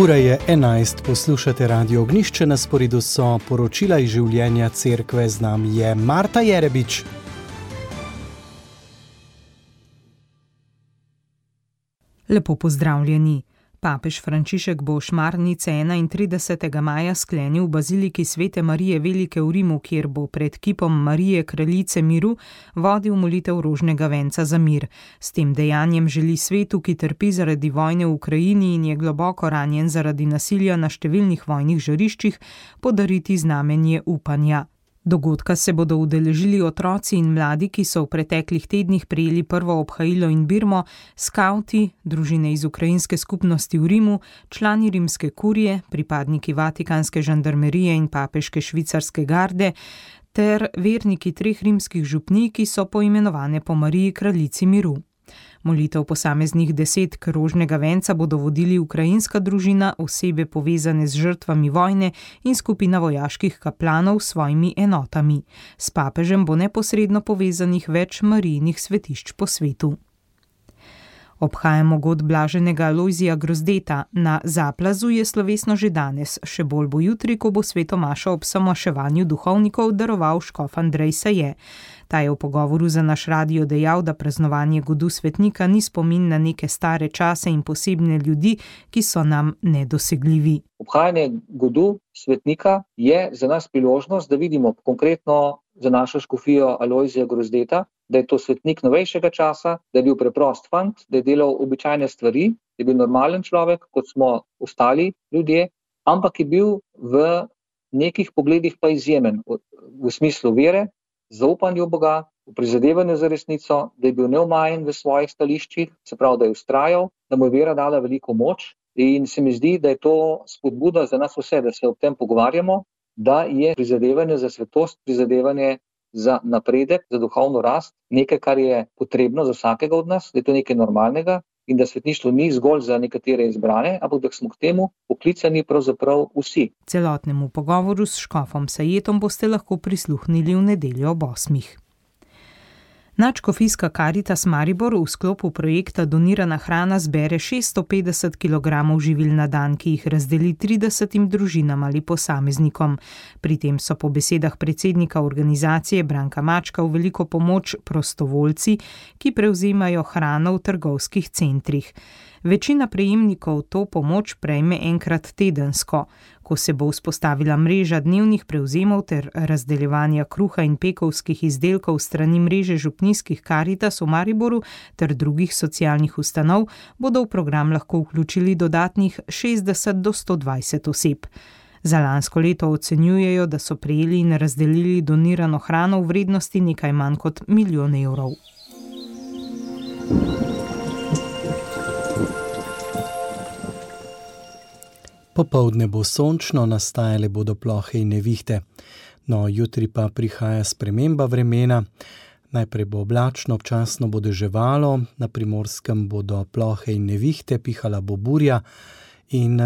Ura je 11, poslušate Radio Ognjišče, na sporedu so poročila iz življenja cerkve, z nami je Marta Jerebič. Lepo pozdravljeni. Papež Frančišek bo šmarnice 31. maja sklenil v baziliki Svete Marije Velike v Rimu, kjer bo pred kipom Marije Kraljice miru vodil molitev rožnega venca za mir. S tem dejanjem želi svetu, ki trpi zaradi vojne v Ukrajini in je globoko ranjen zaradi nasilja na številnih vojnih žariščih, podariti znamenje upanja. Dogodka se bodo udeležili otroci in mladi, ki so v preteklih tednih prejeli prvo obhajilo in birmo, skavti, družine iz ukrajinske skupnosti v Rimu, člani rimske kurije, pripadniki vatikanske žandarmerije in papeške švicarske garde ter verniki 3 rimskih župnij, ki so poimenovane po Mariji Kraljici miru. Molitev posameznih desetk rožnega venca bodo vodili ukrajinska družina, osebe povezane z žrtvami vojne in skupina vojaških kaplanov s svojimi enotami. S papežem bo neposredno povezanih več Marijinih svetišč po svetu. Obhajamo god blaženega Alojzija Grozdeta. Na Zaplazu je slovesno že danes, še bolj bo jutri, ko bo sveto mašo ob samaševanju duhovnikov daroval škof Andrej Saje. Ta je v pogovoru za naš radio dejal, da praznovanje godu svetnika ni spomin na neke stare čase in posebne ljudi, ki so nam nedosegljivi. Obhajanje godu svetnika je za nas priložnost, da vidimo konkretno za našo škofijo Alojzija Grozdeta, da je to svetnik novejšega časa, da je bil preprost fant, da je delal običajne stvari, da je bil normalen človek, kot smo ostali ljudje, ampak je bil v nekih pogledih pa izjemen, v smislu vere, zaupanja v Boga, v prizadevanju za resnico, da je bil neomajen v svojih stališčih, se pravi, da je vztrajal, da mu je vera dala veliko moč, in se mi zdi, da je to spodbuda za nas vse, da se ob tem pogovarjamo, da je prizadevanje za svetost, prizadevanje za napredek, za duhovno rast, nekaj, kar je potrebno za vsakega od nas, da je to nekaj normalnega in da svetništvo ni zgolj za nekatere izbrane, ampak da smo k temu poklicani pravzaprav vsi. Celotnemu pogovoru s škofom Sajetom boste lahko prisluhnili v nedeljo ob 8. Nadškofijska Karitas Maribor v sklopu projekta Donirana hrana zbere 650 kg živil na dan, ki jih razdeli 30 družinam ali posameznikom. Pri tem so po besedah predsednika organizacije Branka Mačka v veliko pomoč prostovoljci, ki prevzemajo hrano v trgovskih centrih. Večina prejemnikov to pomoč prejme enkrat tedensko. Ko se bo vzpostavila mreža dnevnih prevzemov ter razdeljevanja kruha in pekovskih izdelkov strani mreže župnijskih Karitas v Mariboru ter drugih socialnih ustanov, bodo v program lahko vključili dodatnih 60 do 120 oseb. Za lansko leto ocenjujejo, da so prejeli in razdelili donirano hrano v vrednosti nekaj manj kot 1 milijon evrov. Popoldne bo sončno, nastajale bodo plohe in nevihte. No, jutri pa prihaja sprememba vremena. Najprej bo oblačno, občasno bo deževalo, na Primorskem bodo plohe in nevihte, pihala bo burja in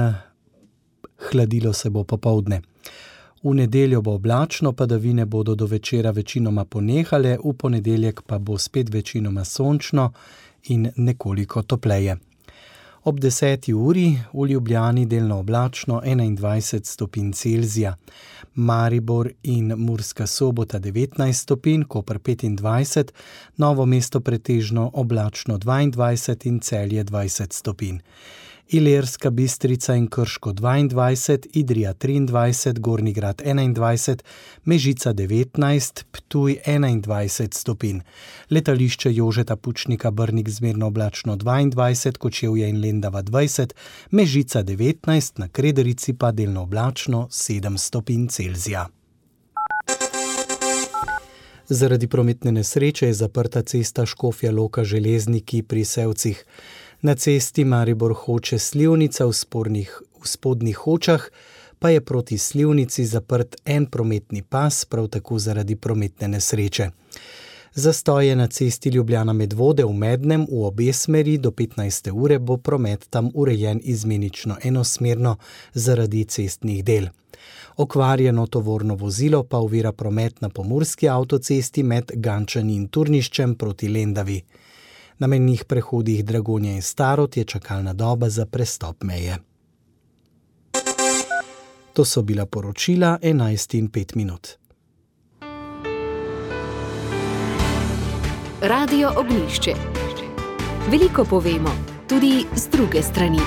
hladilo se bo popoldne. V nedeljo bo oblačno, padavine bodo do večera večinoma ponehale, v ponedeljek pa bo spet večinoma sončno in nekoliko topleje. Ob 10. uri v Ljubljani delno oblačno 21 stopinj Celzija, Maribor in Murska Sobota 19 stopinj, Koper 25, Novo mesto pretežno oblačno 22 in Celje 20 stopinj. Ilirska Bistrica in Krško 22, Idrija 23, Gornji Grad 21, Mežica 19, Ptuj 21 stopinj. Letališče Jožeta Pučnika Brnik zmerno oblačno 22, Kočevje in Lendava 20, Mežica 19, na Krederici pa delno oblačno 7 stopinj Celzija. Zaradi prometne nesreče je zaprta cesta Škofja Loka Železniki pri Sevcih. Na cesti Maribor Hoče Slivnica v Spodnjih Hočah pa je proti Slivnici zaprt en prometni pas, prav tako zaradi prometne nesreče. Zastoj je na cesti Ljubljana Medvode v Mednem v obe smeri, do 15. ure bo promet tam urejen izmenično enosmerno zaradi cestnih del. Okvarjeno tovorno vozilo pa ovira promet na pomurski avtocesti med Gančani in Turniščem proti Lendavi. Na mejnih prehodih Dragonja in Starod je čakalna doba za prestop meje. To so bila poročila 11:05. Radio Ognjišče. Veliko povemo, tudi z druge strani.